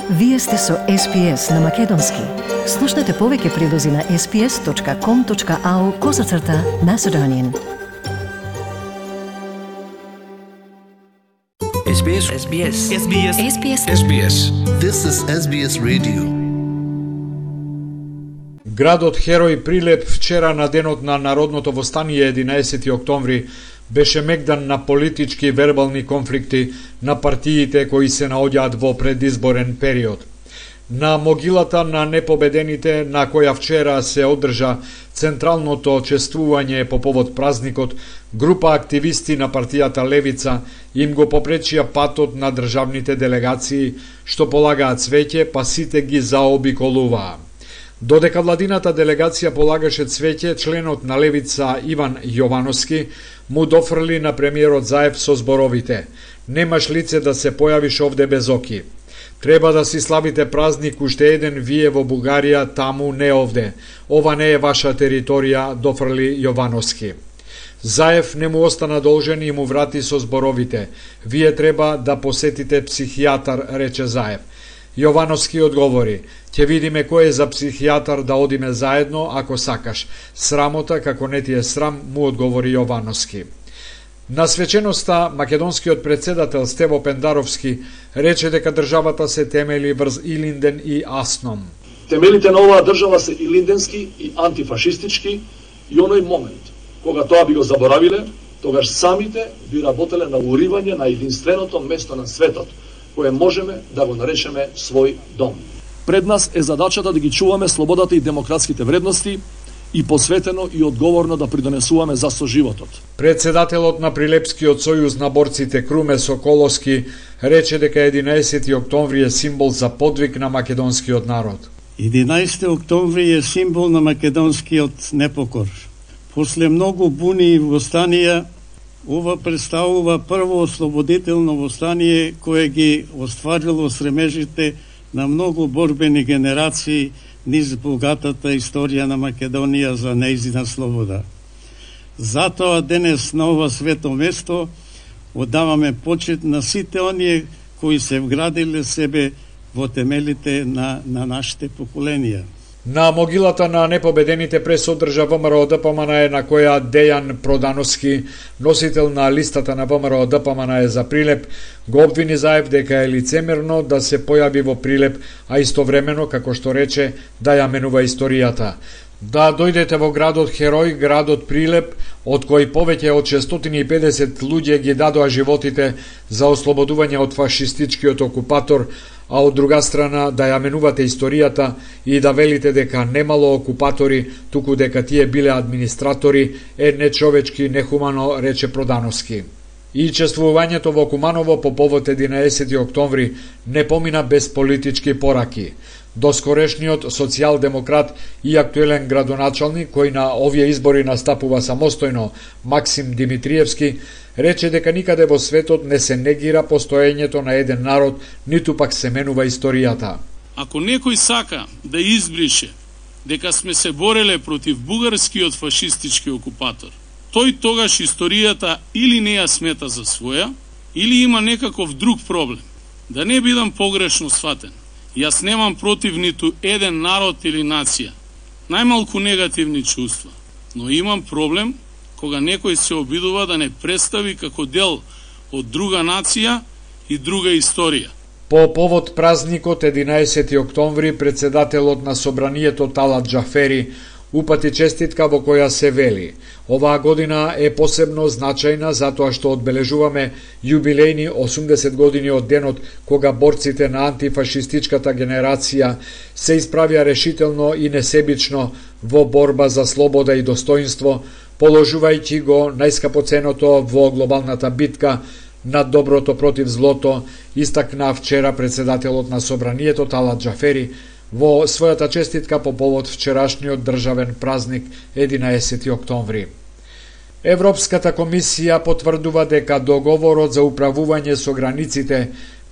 Вие сте со SPS на Македонски. Слушнете повеќе прилози на sps.com.au/Macedonian. SBS. SBS. SBS. SBS. SBS. This is SBS Radio. Градот Херој Прилеп вчера на денот на Народното востание 11 октомври беше мегдан на политички и вербални конфликти на партиите кои се наоѓаат во предизборен период. На могилата на непобедените, на која вчера се одржа централното чествување по повод празникот, група активисти на партијата Левица им го попречија патот на државните делегации што полагаат цвеќе, па сите ги заобиколуваа. Додека владината делегација полагаше цвеќе, членот на Левица Иван Јовановски му дофрли на премиерот Заев со зборовите: "Немаш лице да се појавиш овде без оки. Треба да си славите празник уште еден вие во Бугарија, таму не овде. Ова не е ваша територија", дофрли Јовановски. Заев не му остана должен и му врати со зборовите: "Вие треба да посетите психијатар", рече Заев. Јовановски одговори: "Ќе видиме кој е за психијатар, да одиме заедно ако сакаш. Срамота како не ти е срам", му одговори Јовановски. На свеченоста, македонскиот председател Стево Пендаровски рече дека државата се темели врз Илинден и Асном. Темелите на оваа држава се илинденски и антифашистички и оној момент кога тоа би го заборавиле, тогаш самите би работеле на уривање на единственото место на светот, кое можеме да го наречеме свој дом. Пред нас е задачата да ги чуваме слободата и демократските вредности и посветено и одговорно да придонесуваме за соживотот. Председателот на Прилепскиот сојуз на борците Круме Соколовски рече дека 11 октомври е символ за подвиг на македонскиот народ. 11 октомври е символ на македонскиот непокор. После многу буни и востанија, ова представува прво ослободително востание кое ги остварило стремежите на многу борбени генерации низ богатата историја на Македонија за нејзина слобода. Затоа денес на ова свето место одаваме почит на сите оние кои се вградиле себе во темелите на нашите поколенија. На могилата на непобедените прес одржа ВМРО ДПМН на која Дејан Продановски, носител на листата на ВМРО ДПМН за Прилеп, го обвини Заев дека е лицемерно да се појави во Прилеп, а истовремено, како што рече, да ја менува историјата. Да дојдете во градот Херој, градот Прилеп, од кој повеќе од 650 луѓе ги дадоа животите за ослободување од фашистичкиот окупатор, а од друга страна да ја менувате историјата и да велите дека немало окупатори, туку дека тие биле администратори, е нечовечки, нехумано, рече Продановски. И чествувањето во Куманово по повод 11 октомври не помина без политички пораки. Доскорешниот социјалдемократ и актуелен градоначалник, кој на овие избори настапува самостојно, Максим Димитриевски, рече дека никаде во светот не се негира постоењето на еден народ, ниту пак се менува историјата. Ако некој сака да избрише дека сме се бореле против бугарскиот фашистички окупатор, тој тогаш историјата или не ја смета за своја, или има некаков друг проблем. Да не бидам погрешно сватен, јас немам против ниту еден народ или нација, најмалку негативни чувства, но имам проблем кога некој се обидува да не представи како дел од друга нација и друга историја. По повод празникот 11 октомври, председателот на Собранието Талат Џафери упати честитка во која се вели: "Оваа година е посебно значајна затоа што одбележуваме јубилејни 80 години од денот кога борците на антифашистичката генерација се исправија решително и несебично во борба за слобода и достоинство, положувајќи го најскапоценото во глобалната битка над доброто против злото", истакна вчера председателот на Собранието Талат Џафери во својата честитка по повод вчерашниот државен празник 11 октомври. Европската комисија потврдува дека договорот за управување со границите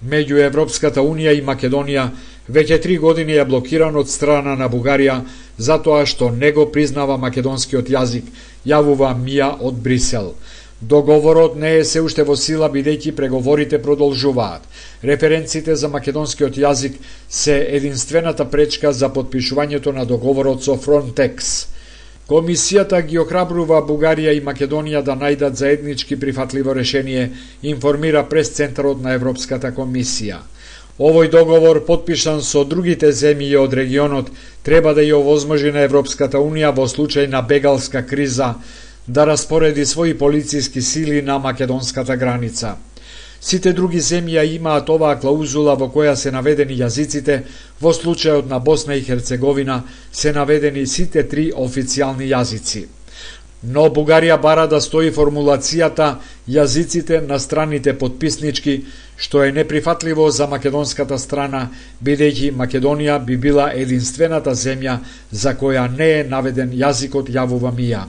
меѓу Европската унија и Македонија веќе 3 години е блокиран од страна на Бугарија затоа што не го признава македонскиот јазик, јавува МИА од Брисел. Договорот не е се уште во сила бидејќи преговорите продолжуваат. Референците за македонскиот јазик се единствената пречка за потпишувањето на договорот со Frontex. Комисијата ги охрабрува Бугарија и Македонија да најдат заеднички прифатливо решение, информира пресцентарот на Европската комисија. Овој договор, потпишан со другите земји од регионот, треба да ја овозможи на Европската Унија во случај на бегалска криза да распореди своји полициски сили на македонската граница. Сите други земји имаат оваа клаузула во која се наведени јазиците, во случајот на Босна и Херцеговина се наведени сите 3 официјални јазици. Но Бугарија бара да стои формулацијата јазиците на страните потписнички, што е неприфатливо за македонската страна, бидејќи Македонија би била единствената земја за која не е наведен јазикот, јавува МИА.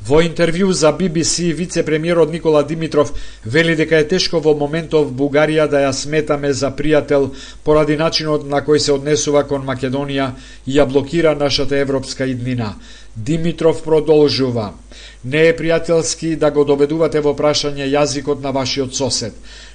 Во интервју за BBC, вице-премиерот Никола Димитров вели дека е тешко во моментов Бугарија да ја сметаме за пријател поради начинот на кој се однесува кон Македонија и ја блокира нашата европска иднина. Димитров продолжува: не е пријателски да го доведувате во прашање јазикот на вашиот сосед.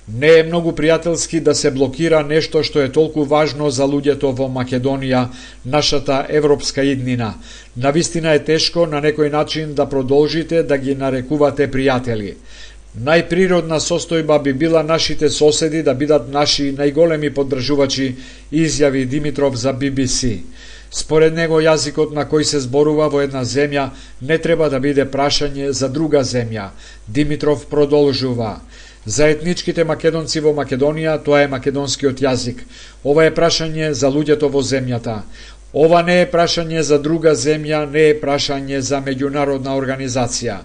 Не е многу пријателски да се блокира нешто што е толку важно за луѓето во Македонија, нашата европска иднина. Навистина е тешко на некој начин да продолжите да ги нарекувате пријатели. Најприродна состојба би била нашите соседи да бидат наши најголеми поддржувачи, изјави Димитров за BBC. Според него, јазикот на кој се зборува во една земја не треба да биде прашање за друга земја. Димитров продолжува: за етничките македонци во Македонија тоа е македонскиот јазик. Ова е прашање за луѓето во земјата. Ова не е прашање за друга земја, не е прашање за меѓународна организација.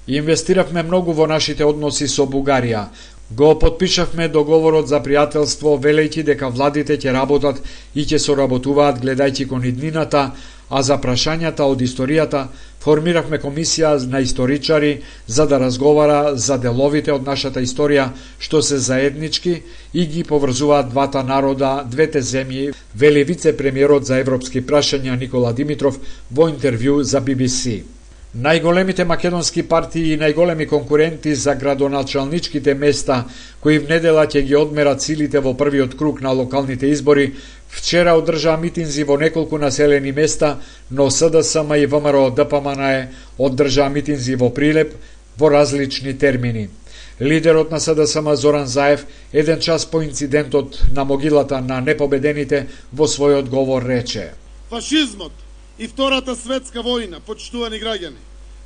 Инвестиравме многу во нашите односи со Бугарија. Го потпишавме договорот за пријателство, велејќи дека владите ќе работат и ќе соработуваат гледајќи кон иднината, а за прашањата од историјата формиравме комисија на историчари за да разговара за деловите од нашата историја што се заеднички и ги поврзуваат двата народа, двете земји, вели вице-премиерот за европски прашања Никола Димитров во интервју за BBC. Најголемите македонски партии и најголеми конкуренти за градоначалничките места, кои внедела ќе ги одмерат силите во првиот круг на локалните избори, вчера одржаа митинзи во неколку населени места, но СДСМ и ВМРО ДПМН одржаа митинзи во Прилеп во различни термини. Лидерот на СДСМ Зоран Заев, еден час по инцидентот на могилата на непобедените, во својот говор рече: фашизмот и Втората светска војна, почитувани граѓани,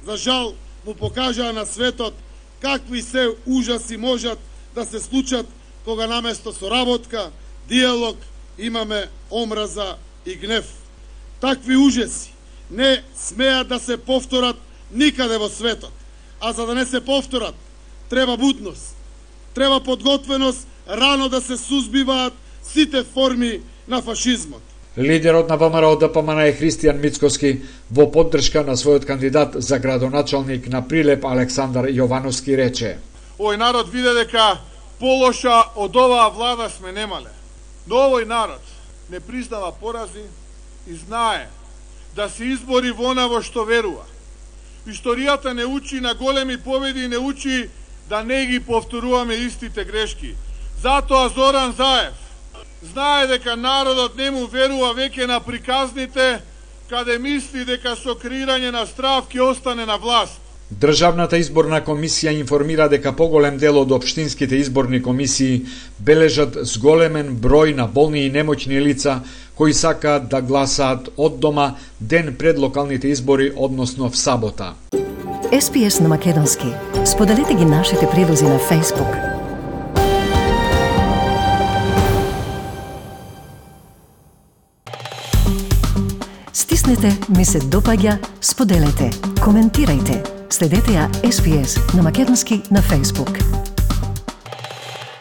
за жал му покажаа на светот какви се ужаси можат да се случат кога наместо соработка, диалог, имаме омраза и гнев. Такви ужаси не смеат да се повторат никаде во светот, а за да не се повторат, треба будност, треба подготвеност рано да се сузбиваат сите форми на фашизмот. Лидерот на ВМРО ДПМН Христијан Мицкоски во поддршка на својот кандидат за градоначалник на Прилеп Александар Јовановски рече: овој народ виде дека полоша од оваа влада сме немале. Но овој народ не признава порази и знае да се избори во она во што верува. Историјата не учи на големи победи и не учи да не ги повторуваме истите грешки. Затоа Зоран Заев знае дека народот не му верува веќе на приказните, каде мисли дека со креирање на страв ќе остане на власт. Државната изборна комисија информира дека поголем дел од општинските изборни комисии бележат зголемен број на болни и немоќни лица кои сакаат да гласаат од дома ден пред локалните избори, односно в сабота. SPS на македонски. Споделете ги нашите прилози на Facebook. Стиснете ми се допаѓа, споделете, коментирајте. Следете ја SPS на македонски на Facebook.